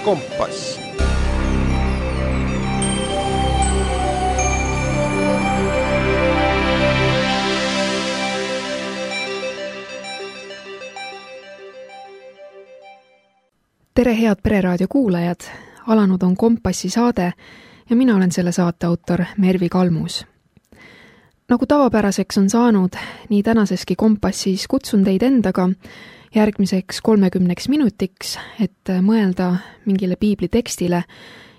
Kompass. Tere, head Pereraadio kuulajad! Alanud on Kompassi saade ja mina olen selle saate autor Mervi Kalmus. Nagu tavapäraseks on saanud, nii tänaseski Kompassis kutsun teid endaga järgmiseks 30 minutiks, et mõelda mingile piibli tekstile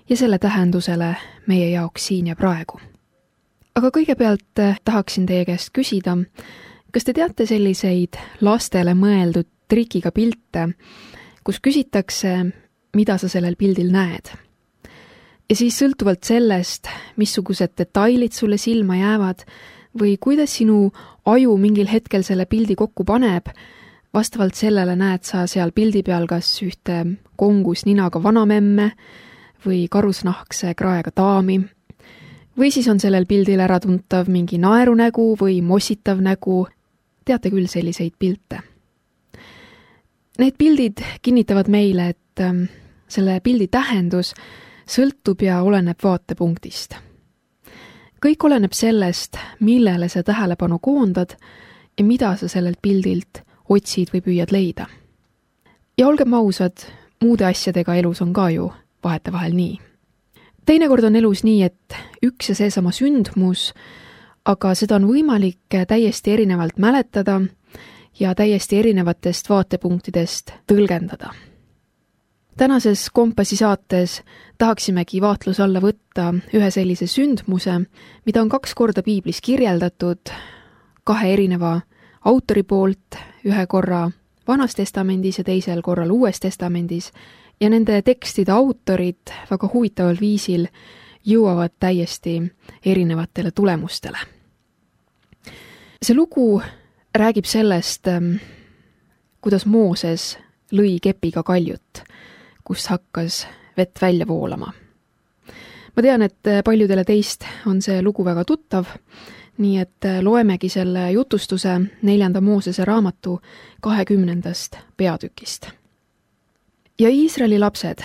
ja selle tähendusele meie jaoks siin ja praegu. Aga kõigepealt tahaksin teie käest küsida, kas te teate selliseid lastele mõeldud trikiga pilte, kus küsitakse, mida sa sellel pildil näed. Ja siis sõltuvalt sellest, missugused detailid sulle silma jäävad või kuidas sinu aju mingil hetkel selle pildi kokku paneb, vastavalt sellele näed sa seal pildi peal kas ühte kongus ninaga vanamemme või karusnahkse kraega daami. Või siis on sellel pildil äratuntav mingi naerunägu või mossitav nägu. Teate küll selliseid pilte. Need pildid kinnitavad meile, et selle pildi tähendus sõltub ja oleneb vaatepunktist. Kõik oleneb sellest, millele sa tähelepanu koondad ja mida sa sellelt pildilt otsid või püüad leida. Ja olgem ausad, muude asjadega elus on ka ju vahetevahel nii. Teinekord on elus nii, et üks ja seesama sündmus, aga seda on võimalik täiesti erinevalt mäletada ja täiesti erinevatest vaatepunktidest tõlgendada. Tänases Kompassi saates tahaksimegi vaatluse alla võtta ühe sellise sündmuse, mida on 2 korda piiblis kirjeldatud 2 erineva autori poolt, ühe korra Vanas testamendis ja teisel korral Uues testamendis, ja nende tekstide autorid väga huvitaval viisil jõuavad täiesti erinevatele tulemustele. See lugu räägib sellest, kuidas Mooses lõi kepiga kaljut, kus hakkas vett välja voolama. Ma tean, et paljudele teist on see lugu väga tuttav, nii et loemegi selle jutustuse 4. Moosese raamatu 20. peatükist. Ja Iisraeli lapsed,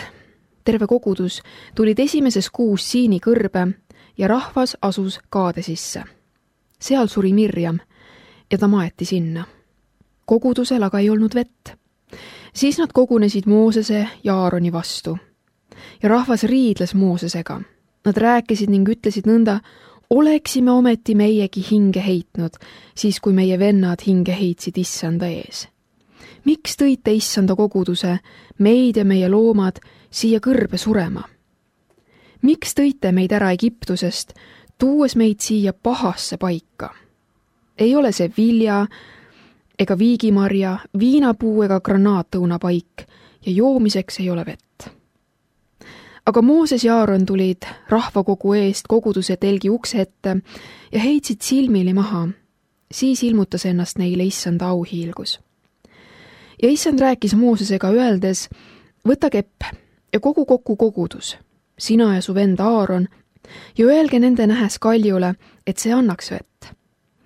terve kogudus, tulid esimeses kuus Siini kõrbe ja rahvas asus Kaadesisse. Seal suri Mirjam ja ta maeti sinna. Kogudusel aga ei olnud vett. Siis nad kogunesid Moosese ja Aaroni vastu. Ja rahvas riidles Moosesega. Nad rääkisid ning ütlesid nõnda, oleksime ometi meiegi hinge heitnud, siis kui meie vennad hinge heitsid Issanda ees. Miks tõite Issanda koguduse, meid ja meie loomad, siia kõrbe surema? Miks tõite meid ära Egiptusest, tuues meid siia pahasse paika? Ei ole see vilja ega viigimarja, viinapuu ega granaatõuna paik ja joomiseks ei ole vett. Aga Mooses ja Aaron tulid rahvakogu eest koguduse telgi ukse ette ja heitsid silmili maha. Siis ilmutas ennast neile Issanda auhiilgus. Ja Issand rääkis Moosesega öeldes, võta kepp ja kogu kokku kogudus, sina ja su vend Aaron, ja öelge nende nähes kaljule, et see annaks vett.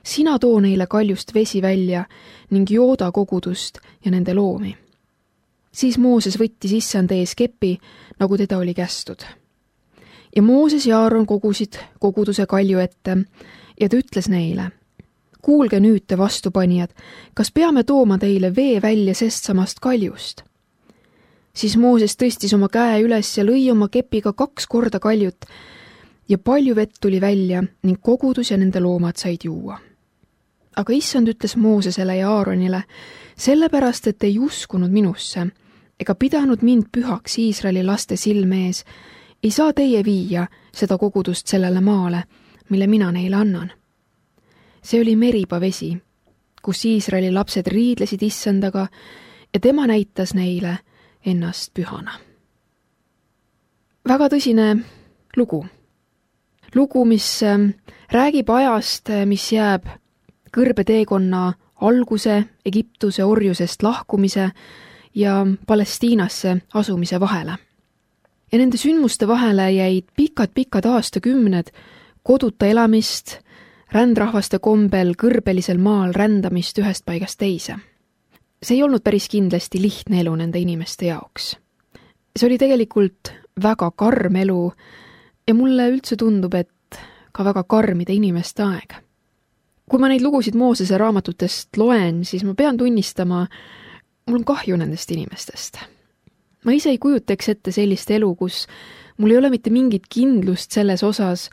Sina too neile kaljust vesi välja ning jooda kogudust ja nende loomi. Siis Mooses võttis Issand ees kepi, nagu teda oli kästud. Ja Mooses ja Aaron kogusid koguduse kalju ette ja ta ütles neile, kuulge nüüd te vastupanijad, kas peame tooma teile vee välja sestsamast kaljust? Siis Mooses tõstis oma käe üles ja lõi oma kepiga 2 korda kaljut ja palju vett tuli välja ning kogudus ja nende loomad said juua. Aga Issand ütles Moosesele ja Aaronile, sellepärast, et ei uskunud minusse ega pidanud mind pühaks Iisraeli laste silme ees, ei saa teie viia seda kogudust sellele maale, mille mina neile annan. See oli Meriba vesi, kus Iisraeli lapsed riidlesid Issandaga ja tema näitas neile ennast pühana. Väga tõsine lugu. Lugu, mis räägib ajast, mis jääb kõrbeteekonna alguse, Egiptuse orjusest lahkumise ja Palestiinasse asumise vahele. Ja nende sündmuste vahele jäid pikad aastakümned koduta elamist, rändrahvaste kombel kõrbelisel maal rändamist ühest paigast teise. See ei olnud päris kindlasti lihtne elu nende inimeste jaoks. See oli tegelikult väga karm elu ja mulle üldse tundub, et ka väga karmide inimeste aeg. Kui ma neid lugusid Moosese raamatutest loen, siis ma pean tunnistama, mul on kahju nendest inimestest. Ma ise ei kujutaks ette sellist elu, kus mul ei ole mitte mingit kindlust selles osas,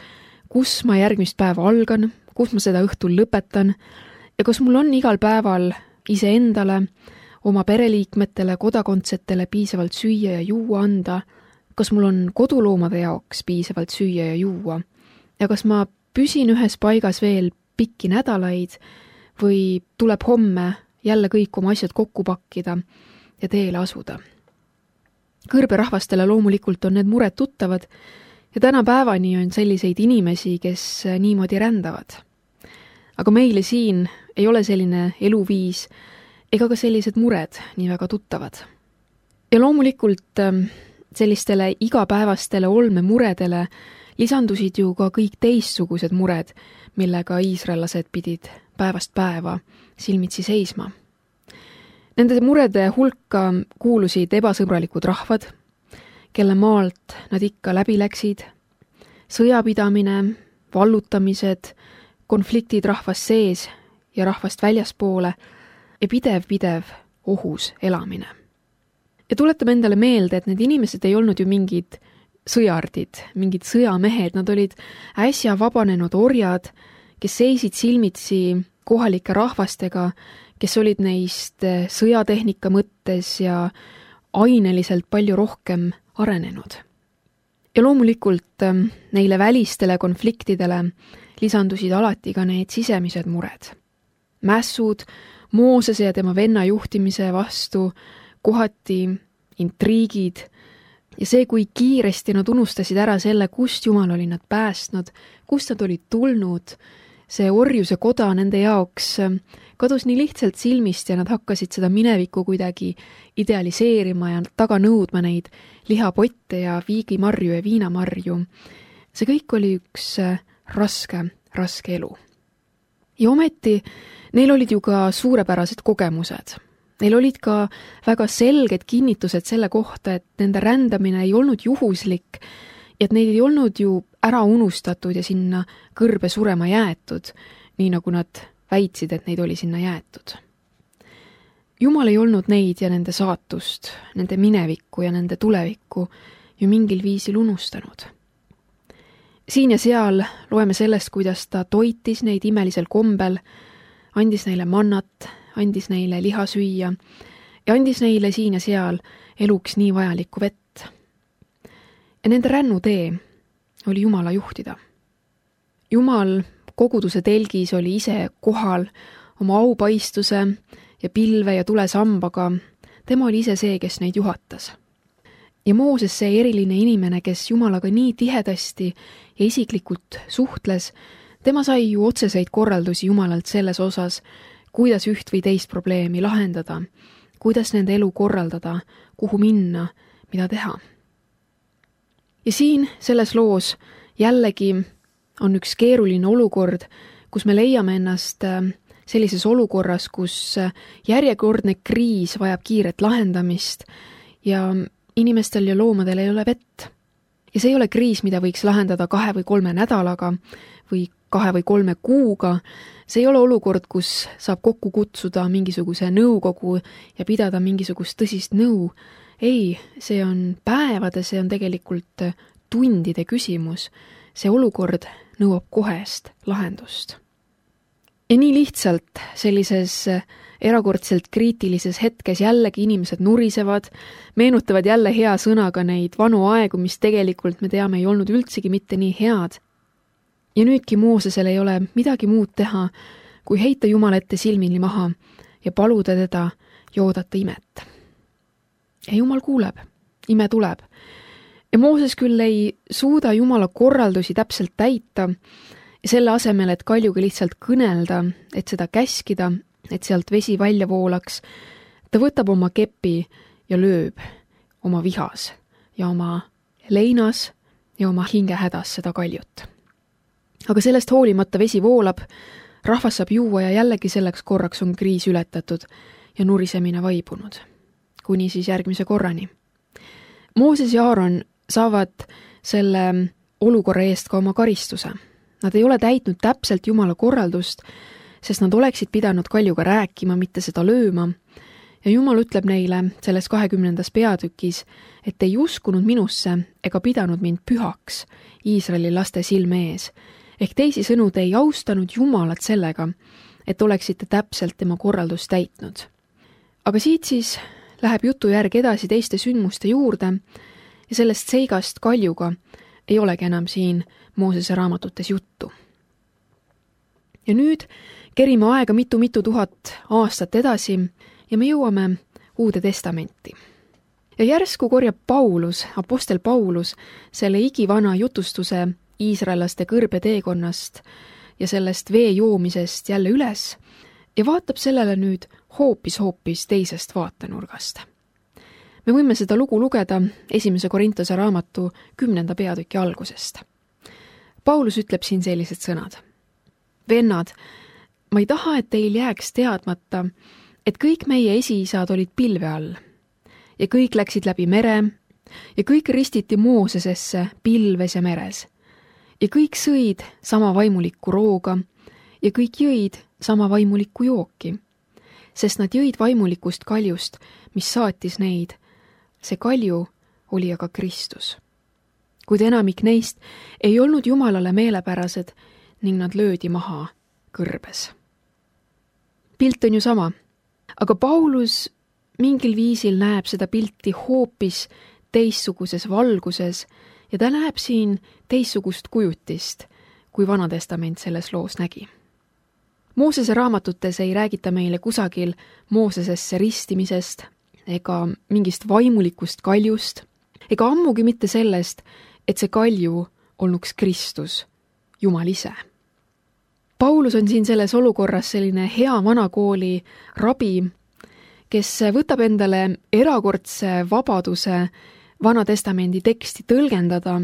kus ma järgmist päeva algan, kus ma seda õhtul lõpetan ja kas mul on igal päeval iseendale, oma pereliikmetele, kodakondsetele piisavalt süüa ja juua anda, kas mul on koduloomade jaoks piisavalt süüa ja juua ja kas ma püsin ühes paigas veel pikki nädalaid või tuleb homme jälle kõik oma asjad kokku pakkida ja teele asuda. Kõrberahvastele loomulikult on need mured tuttavad ja tänapäevani on selliseid inimesi, kes niimoodi rändavad. Aga meile siin ei ole selline eluviis ega ka sellised mured nii väga tuttavad. Ja loomulikult sellistele igapäevastele olmemuredele lisandusid ju ka kõik teistsugused mured, millega iisraellased pidid päevast päeva silmitsi seisma. Nende murede hulka kuulusid ebasõbralikud rahvad, kelle maalt nad ikka läbi läksid, sõjapidamine, vallutamised, konfliktid rahvast sees ja rahvast väljaspoole ja pidev ohus elamine. Ja tuletame endale meelde, et need inimesed ei olnud ju mingid sõjardid, mingid sõjamehed, nad olid äsja vabanenud orjad, kes seisid silmitsi kohalike rahvastega, kes olid neist sõjatehnika mõttes ja aineliselt palju rohkem arenenud. Ja loomulikult neile välistele konfliktidele lisandusid alati ka need sisemised mured. Mässud Moosese ja tema venna juhtimise vastu, kohati intriigid ja see, kui kiiresti nad unustasid ära selle, kust Jumal oli nad päästnud, kust nad olid tulnud, see orjuse koda nende jaoks kadus nii lihtsalt silmist ja nad hakkasid seda minevikku kuidagi idealiseerima ja taga nõudma neid lihapotte ja viigimarju ja viinamarju. See kõik oli üks raske elu. Ja ometi neil olid ju ka suurepärased kogemused. Neil olid ka väga selged kinnitused selle kohta, et nende rändamine ei olnud juhuslik ja et neid ei olnud ju ära unustatud ja sinna kõrbe surema jäetud, nii nagu nad väitsid, et neid oli sinna jäetud. Jumal ei olnud neid ja nende saatust, nende minevikku ja nende tulevikku ju mingil viisil unustanud. Siin ja seal loeme sellest, kuidas ta toitis neid imelisel kombel, andis neile mannat, andis neile liha süüa ja andis neile siin ja seal eluks nii vajalikku vett. Ja nende rännutee oli Jumala juhtida. Jumal koguduse telgis oli ise kohal oma aupaistuse ja pilve ja tulesambaga. Tema oli ise see, kes neid juhatas. Ja Mooses, see eriline inimene, kes Jumalaga nii tihedasti ja isiklikult suhtles, tema sai ju otseseid korraldusi Jumalalt selles osas, kuidas üht või teist probleemi lahendada, kuidas nende elu korraldada, kuhu minna, mida teha. Ja siin selles loos jällegi on üks keeruline olukord, kus me leiame ennast sellises olukorras, kus järjekordne kriis vajab kiiret lahendamist ja inimestel ja loomadel ei ole vett. Ja see ei ole kriis, mida võiks lahendada 2 või 3 nädalaga või 2 või 3 kuuga. See ei ole olukord, kus saab kokku kutsuda mingisuguse nõukogu ja pidada mingisugust tõsist nõu. Ei, see on päevade, see on tegelikult tundide küsimus. See olukord nõuab kohest lahendust. Ja nii lihtsalt sellises erakordselt kriitilises hetkes jällegi inimesed nurisevad, meenutavad jälle hea sõnaga neid vanu aegu, mis tegelikult me teame ei olnud üldsegi mitte nii head. Ja nüüdki Moosesel ei ole midagi muud teha, kui heita Jumala ette silmini maha ja paluda teda ja oodata imet. Ja Jumal kuuleb, ime tuleb. Ja Mooses küll ei suuda Jumala korraldusi täpselt täita ja selle asemel, et kaljuga lihtsalt kõnelda, et seda käskida, et sealt vesi välja voolaks, ta võtab oma kepi ja lööb oma vihas ja oma leinas ja oma hingehädas seda kaljut. Aga sellest hoolimata vesi voolab, rahvas saab juua ja jällegi selleks korraks on kriis ületatud ja nurisemine vaibunud. Kuni siis järgmise korrani. Mooses ja Aaron saavad selle olukorra eest ka oma karistuse. Nad ei ole täitnud täpselt Jumala korraldust, sest nad oleksid pidanud kaljuga rääkima, mitte seda lööma. Ja Jumal ütleb neile selles 20. peatükis, et ei uskunud minusse ega pidanud mind pühaks Iisraeli laste silme ees. Ehk teisisõnu, te ei austanud Jumalat sellega, et oleksite täpselt tema korraldust täitnud. Aga siit siis läheb jutu järg edasi teiste sündmuste juurde ja sellest seigast kaljuga ei olegi enam siin Moosese raamatutes juttu. Ja nüüd kerime aega mitu tuhat aastat edasi ja me jõuame Uude Testamenti. Ja järsku korjab apostel Paulus selle igivana jutustuse iisraellaste kõrbeteekonnast ja sellest vee joomisest jälle üles ja vaatab sellele nüüd hoopis teisest vaatenurgast. Me võime seda lugu lugeda 1. Korintuse raamatu 10. peatüki algusest. Paulus ütleb siin sellised sõnad. Vennad, ma ei taha, et teil jääks teadmata, et kõik meie esiisad olid pilve all ja kõik läksid läbi mere ja kõik ristiti Moosesesse pilves ja meres ja kõik sõid sama vaimulikku rooga ja kõik jõid sama vaimulikku jooki, sest nad jõid vaimulikust kaljust, mis saatis neid. See kalju oli aga Kristus. Kuid enamik neist ei olnud Jumalale meelepärased ning nad löödi maha kõrbes. Pilt on ju sama, aga Paulus mingil viisil näeb seda pilti hoopis teistsuguses valguses ja ta näeb siin teistsugust kujutist, kui Vana Testament selles loos nägi. Moosese raamatutes ei räägita meile kusagil Moosesesse ristimisest ega mingist vaimulikust kaljust, ega ammugi mitte sellest, et see kalju olnuks Kristus, Jumal ise. Paulus on siin selles olukorras selline hea vanakooli rabi, kes võtab endale erakordse vabaduse Vana Testamendi teksti tõlgendada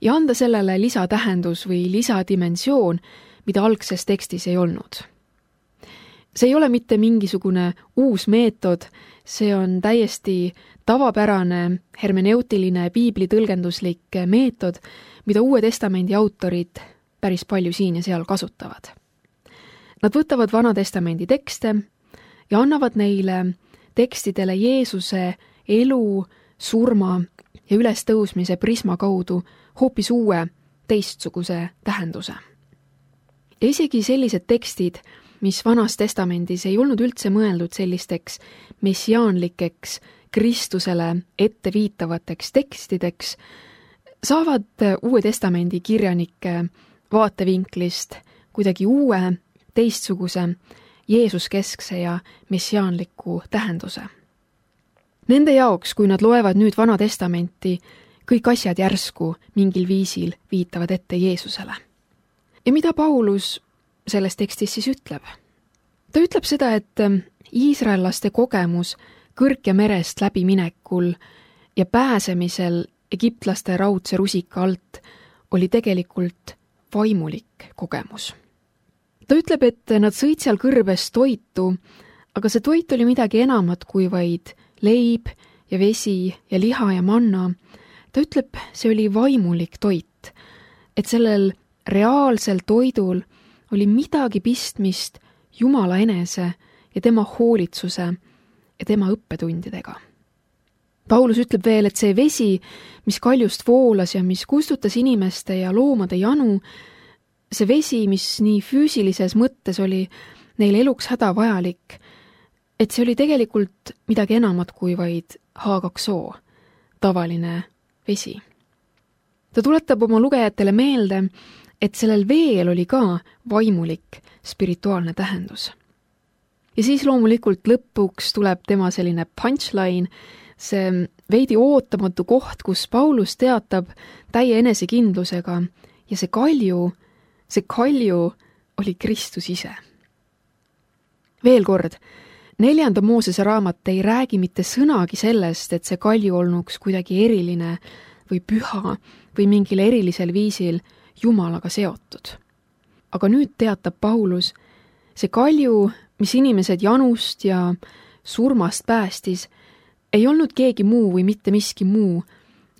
ja anda sellele lisatähendus või lisadimensioon, mida algses tekstis ei olnud. See ei ole mitte mingisugune uus meetod, see on täiesti tavapärane hermeneutiline piiblitõlgenduslik meetod, mida Uue Testamendi autorid päris palju siin ja seal kasutavad. Nad võtavad Vana Testamendi tekste ja annavad neile tekstidele Jeesuse elu, surma ja ülestõusmise prisma kaudu hoopis uue, teistsuguse tähenduse. Ja isegi sellised tekstid, mis Vanas Testamendis ei olnud üldse mõeldud sellisteks messiaanlikeks, Kristusele ette viitavateks tekstideks, saavad Uue Testamendi kirjanike vaatevinklist kuidagi uue, teistsuguse, Jeesuskeskse ja messiaanliku tähenduse. Nende jaoks, kui nad loevad nüüd Vana Testamenti, kõik asjad järsku mingil viisil viitavad ette Jeesusele. Ja mida Paulus selles tekstis siis ütleb? Ta ütleb seda, et iisraellaste kogemus Kõrke merest läbiminekul ja pääsemisel egiptlaste raudse rusika alt oli tegelikult vaimulik kogemus. Ta ütleb, et nad sõid seal kõrbes toitu, aga see toit oli midagi enamat kui vaid leib ja vesi ja liha ja manna. Ta ütleb, see oli vaimulik toit, et sellel reaalsel toidul oli midagi pistmist Jumala enese ja tema hoolitsuse ja tema õppetundidega. Paulus ütleb veel, et see vesi, mis kaljust voolas ja mis kustutas inimeste ja loomade janu, see vesi, mis nii füüsilises mõttes oli neile eluks hädavajalik, et see oli tegelikult midagi enamat kui vaid H2O, tavaline vesi. Ta tuletab oma lugejatele meelde, et sellel veel oli ka vaimulik, spirituaalne tähendus. Ja siis loomulikult lõpuks tuleb tema selline punchline, see veidi ootamatu koht, kus Paulus teatab täie enesekindlusega ja see kalju oli Kristus ise. Veel kord, 4. Moosese raamat ei räägi mitte sõnagi sellest, et see kalju olnuks kuidagi eriline või püha või mingil erilisel viisil Jumalaga seotud. Aga nüüd teatab Paulus, see kalju, mis inimesed janust ja surmast päästis, ei olnud keegi muu või mitte miski muu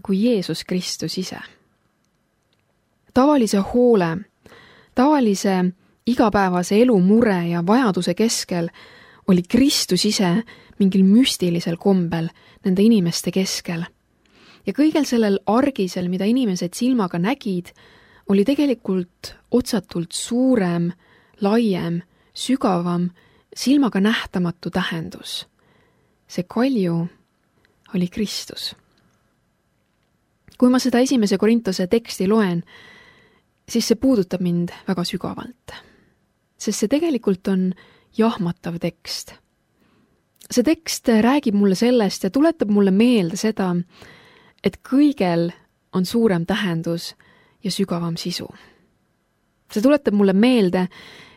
kui Jeesus Kristus ise. Tavalise hoole, tavalise igapäevase elu mure ja vajaduse keskel oli Kristus ise mingil müstilisel kombel nende inimeste keskel. Ja kõigel sellel argisel, mida inimesed silmaga nägid, oli tegelikult otsatult suurem, laiem, sügavam, silmaga nähtamatu tähendus. See kalju oli Kristus. Kui ma seda 1. Korintuse teksti loen, siis see puudutab mind väga sügavalt. Sest see tegelikult on jahmatav tekst. See tekst räägib mulle sellest ja tuletab mulle meelde seda, et kõigel on suurem tähendus ja sügavam sisu. See tuletab mulle meelde,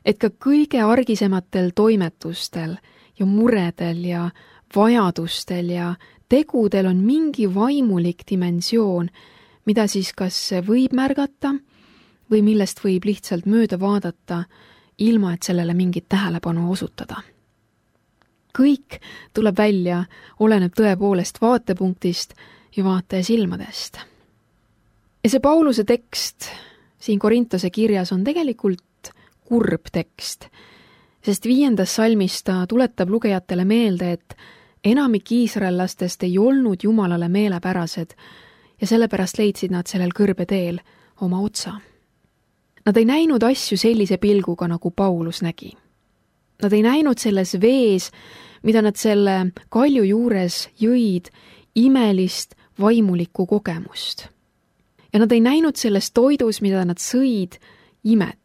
et ka kõige argisematel toimetustel ja muredel ja vajadustel ja tegudel on mingi vaimulik dimensioon, mida siis kas võib märgata või millest võib lihtsalt mööda vaadata, ilma et sellele mingit tähelepanu osutada. Kõik tuleb välja, oleneb tõepoolest vaatepunktist ja vaataja silmadest. Ja see Pauluse tekst siin Korintuse kirjas on tegelikult kurb tekst, sest 5. salmis ta tuletab lugejatele meelde, et enamik iisraellastest ei olnud Jumalale meelepärased ja sellepärast leidsid nad sellel kõrbeteel oma otsa. Nad ei näinud asju sellise pilguga, nagu Paulus nägi. Nad ei näinud selles vees, mida nad selle kalju juures jõid, imelist vaimulikku kogemust. Ja nad ei näinud selles toidus, mida nad sõid, imet.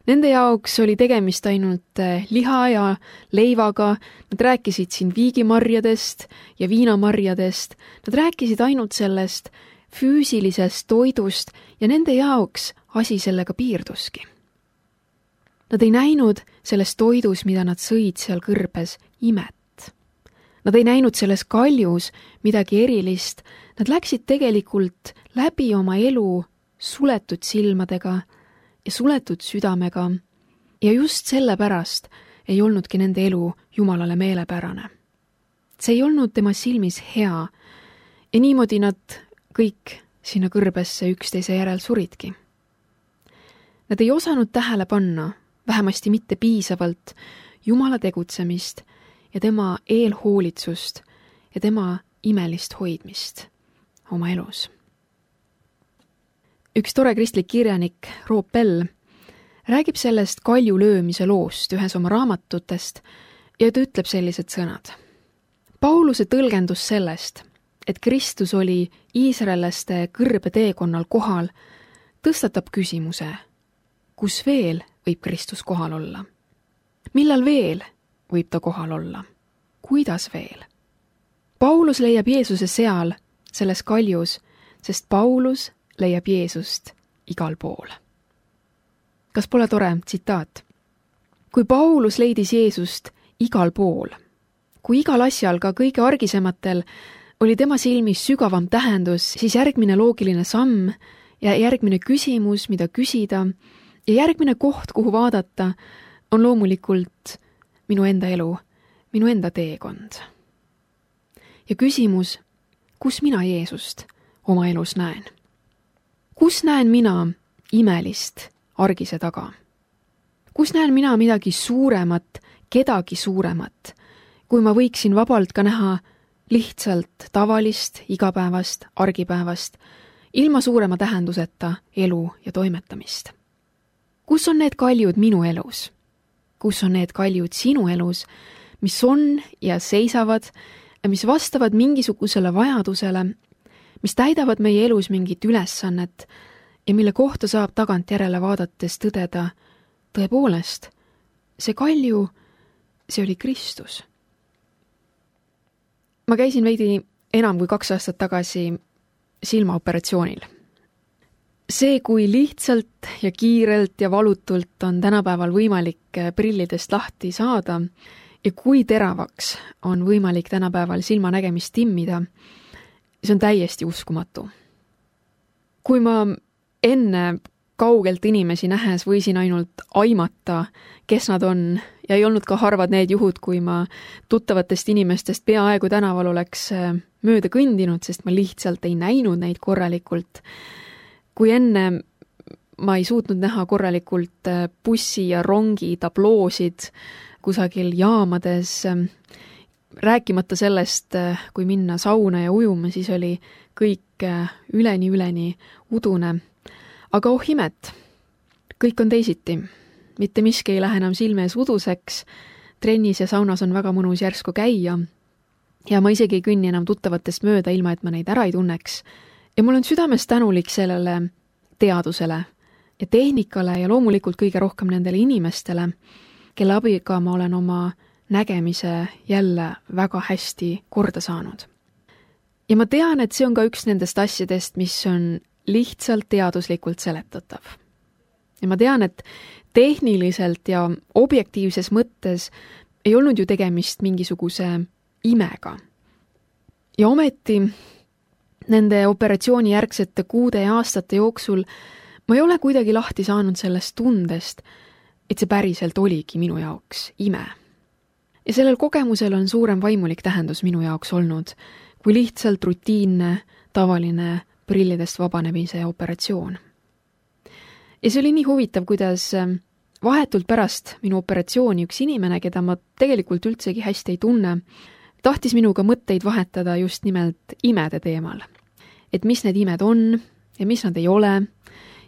Nende jaoks oli tegemist ainult liha ja leivaga, nad rääkisid siin viigimarjadest ja viinamarjadest, nad rääkisid ainult sellest füüsilisest toidust ja nende jaoks asi sellega piirduski. Nad ei näinud selles toidus, mida nad sõid seal kõrbes, imet. Nad ei näinud selles kaljus midagi erilist, nad läksid tegelikult läbi oma elu suletud silmadega ja suletud südamega ja just sellepärast ei olnudki nende elu Jumalale meelepärane. See ei olnud tema silmis hea ja niimoodi nad kõik sinna kõrbesse üksteise järel suridki. Nad ei osanud tähele panna, vähemasti mitte piisavalt, Jumala tegutsemist ja tema eelhoolitsust ja tema imelist hoidmist oma elus. Üks tore kristlik kirjanik, Roop Bell, räägib sellest kalju löömise loost ühes oma raamatutest ja ta ütleb sellised sõnad. Pauluse tõlgendus sellest, et Kristus oli iisraellaste kõrbeteekonnal kohal, tõstatab küsimuse, kus veel võib Kristus kohal olla? Millal veel võib ta kohal olla? Kuidas veel? Paulus leiab Jeesuse seal, selles kaljus, sest Paulus leiab Jeesust igal pool. Kas pole tore tsitaat? Kui Paulus leidis Jeesust igal pool, kui igal asjal, ka kõige argisematel, oli tema silmis sügavam tähendus, siis järgmine loogiline samm ja järgmine küsimus, mida küsida, ja järgmine koht, kuhu vaadata, on loomulikult minu enda elu, minu enda teekond. Ja küsimus, kus mina Jeesust oma elus näen? Kus näen mina imelist argise taga? Kus näen mina midagi suuremat, kedagi suuremat, kui ma võiksin vabalt ka näha lihtsalt tavalist, igapäevast, argipäevast, ilma suurema tähenduseta elu ja toimetamist? Kus on need kaljud minu elus? Kus on need kaljud sinu elus, mis on ja seisavad ja mis vastavad mingisugusele vajadusele, mis täidavad meie elus mingit ülesannet ja mille kohta saab tagantjärele vaadates tõdeda, tõepoolest, see kalju, see oli Kristus. Ma käisin veidi enam kui 2 aastat tagasi silmaoperatsioonil. See, kui lihtsalt ja kiirelt ja valutult on tänapäeval võimalik prillidest lahti saada ja kui teravaks on võimalik tänapäeval silmanägemist timmida, see on täiesti uskumatu. Kui ma enne kaugelt inimesi nähes võisin ainult aimata, kes nad on, ja ei olnud ka harvad need juhud, kui ma tuttavatest inimestest peaaegu tänaval oleks mööda kõndinud, sest ma lihtsalt ei näinud neid korralikult. Kui enne ma ei suutnud näha korralikult bussi ja rongi tabloosid kusagil jaamades, rääkimata sellest, kui minna sauna ja ujuma, siis oli kõik üleni udune. Aga oh imet, kõik on teisiti. Mitte miski ei lähe enam silme ees uduseks, trennis ja saunas on väga mõnus järsku käia ja ma isegi ei kõnni enam tuttavatest mööda, ilma et ma neid ära ei tunneks. Ja mul on südames tänulik sellele teadusele ja tehnikale ja loomulikult kõige rohkem nendele inimestele, kelle abiga ma olen oma nägemise jälle väga hästi korda saanud. Ja ma tean, et see on ka üks nendest asjadest, mis on lihtsalt teaduslikult seletatav. Ja ma tean, et tehniliselt ja objektiivses mõttes ei olnud ju tegemist mingisuguse imega. Ja ometi nende operatsiooni järgsete kuude ja aastate jooksul ma ei ole kuidagi lahti saanud sellest tundest, et see päriselt oligi minu jaoks ime. Ja sellel kogemusel on suurem vaimulik tähendus minu jaoks olnud, kui lihtsalt rutiinne, tavaline prillidest vabanemise operatsioon. Ja see oli nii huvitav, kuidas vahetult pärast minu operatsiooni üks inimene, keda ma tegelikult üldsegi hästi ei tunne, tahtis minuga mõtteid vahetada just nimelt imede teemal. Et mis need imed on ja mis nad ei ole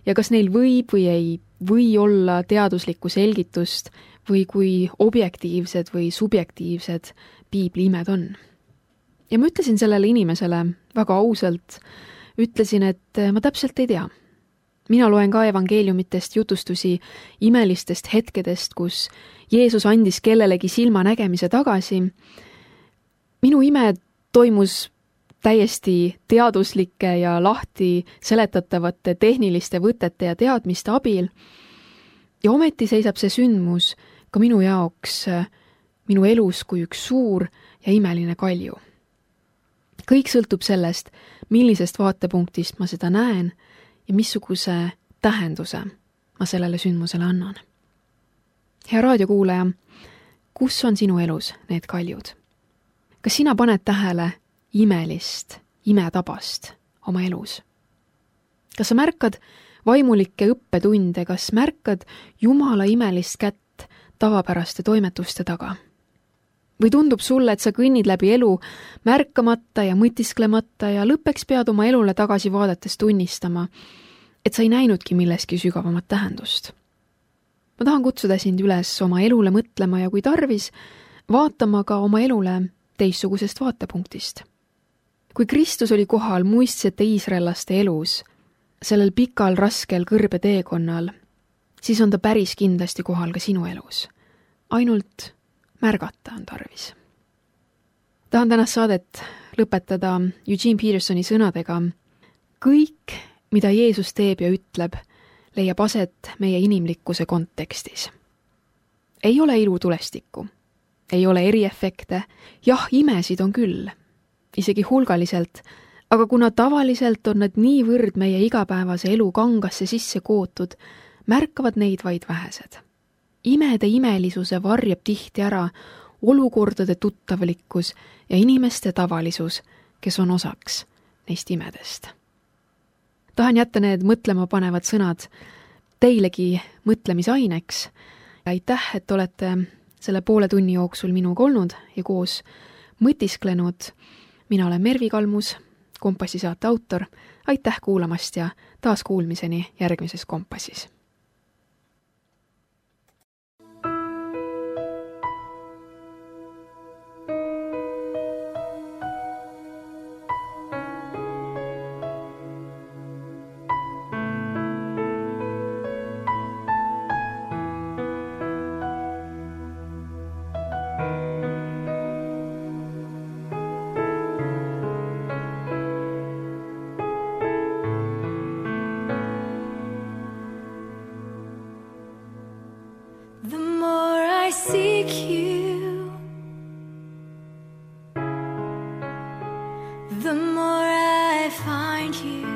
ja kas neil võib või ei või olla teaduslikku selgitust või kui objektiivsed või subjektiivsed piibli imed on. Ja ma ütlesin sellele inimesele väga ausalt, ütlesin, et ma täpselt ei tea. Mina loen ka evangeeliumitest jutustusi imelistest hetkedest, kus Jeesus andis kellelegi silmanägemise tagasi. Minu ime toimus täiesti teaduslike ja lahti seletatavate tehniliste võtete ja teadmiste abil. Ja ometi seisab see sündmus ka minu jaoks minu elus kui üks suur ja imeline kalju. Kõik sõltub sellest, millisest vaatepunktist ma seda näen ja missuguse tähenduse ma sellele sündmusele annan. Hea raadiokuulaja, kus on sinu elus need kaljud? Kas sina paned tähele imelist, imetabast oma elus? Kas sa märkad vaimulikke õppetunde, kas märkad Jumala imelist kätt tavapäraste toimetuste taga? Või tundub sulle, et sa kõnnid läbi elu märkamata ja mõtisklemata ja lõppeks pead oma elule tagasi vaadates tunnistama, et sa ei näinudki milleski sügavamat tähendust? Ma tahan kutsuda sind üles oma elule mõtlema ja kui tarvis, vaatama ka oma elule teistsugusest vaatepunktist. Kui Kristus oli kohal muistsete iisraellaste elus, sellel pikal, raskel kõrbeteekonnal, siis on ta päris kindlasti kohal ka sinu elus. Ainult märgata on tarvis. Tahan tänast saadet lõpetada Eugene Petersoni sõnadega. Kõik, mida Jeesus teeb ja ütleb, leiab aset meie inimlikkuse kontekstis. Ei ole ilutulestikku, ei ole eriefekte, jah, imesid on küll, isegi hulgaliselt, aga kuna tavaliselt on nad niivõrd meie igapäevase elu kangasse sisse kootud, märkavad neid vaid vähesed. Imede imelisuse varjab tihti ära olukordade tuttavlikkus ja inimeste tavalisus, kes on osaks neist imedest. Tahan jätta need mõtlema panevad sõnad teilegi mõtlemisaineks. Aitäh, et olete selle poole tunni jooksul minuga olnud ja koos mõtisklenud. Mina olen Mervi Kalmus, Kompassi saate autor. Aitäh kuulamast ja taas kuulmiseni järgmises Kompassis. The more I find you,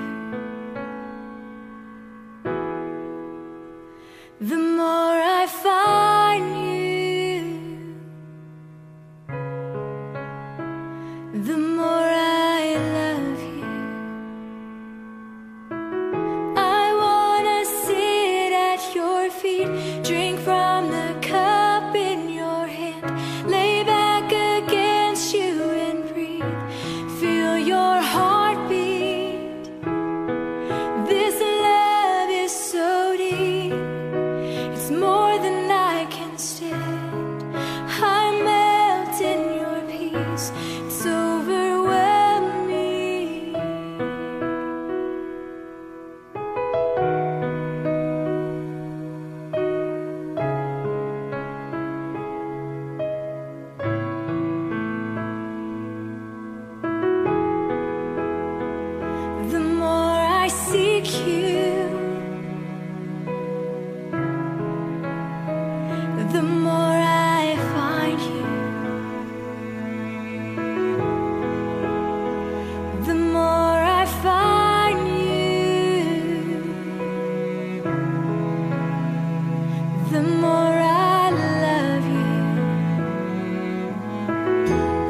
the more I love you.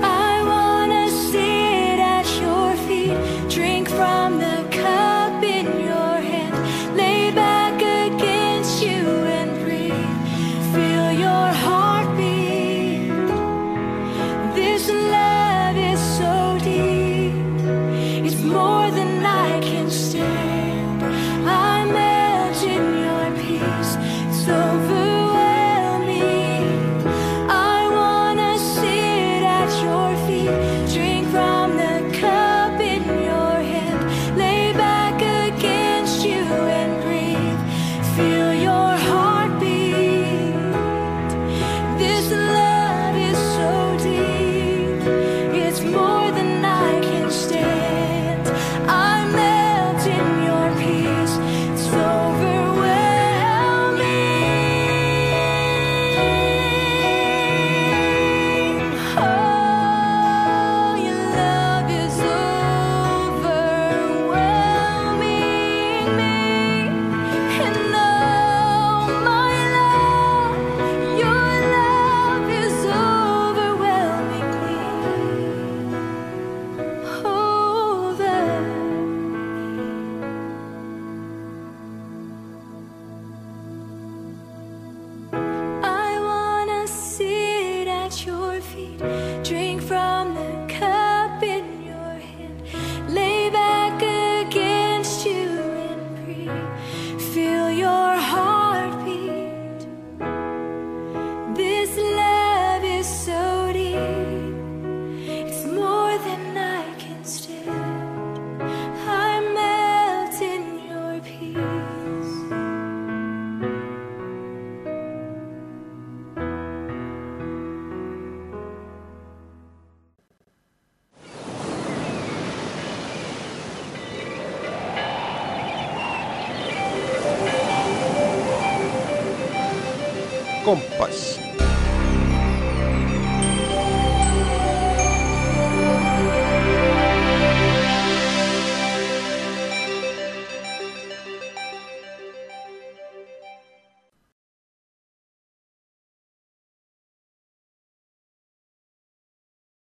I wanna sit at your feet, drink from the cup in your hand, lay back against you and breathe, feel your heartbeat. This love is so deep, it's more than I can stand. I melt in your peace, it's overwhelming. I wanna sit at your feet, drink from the cup in your hand, lay back against you and breathe, feel your heartbeat. This love is so deep, it's more than I can stand. I melt in your peace, it's overwhelming. Oh, your love is overwhelming me. And oh, my love, your love is overwhelming me. I wanna sit at your feet, drink from the cup in your hand, lay back against you and breathe, feel your heartbeat. This love is so deep, it's more than I can stand. I melt in your peace. Kompass.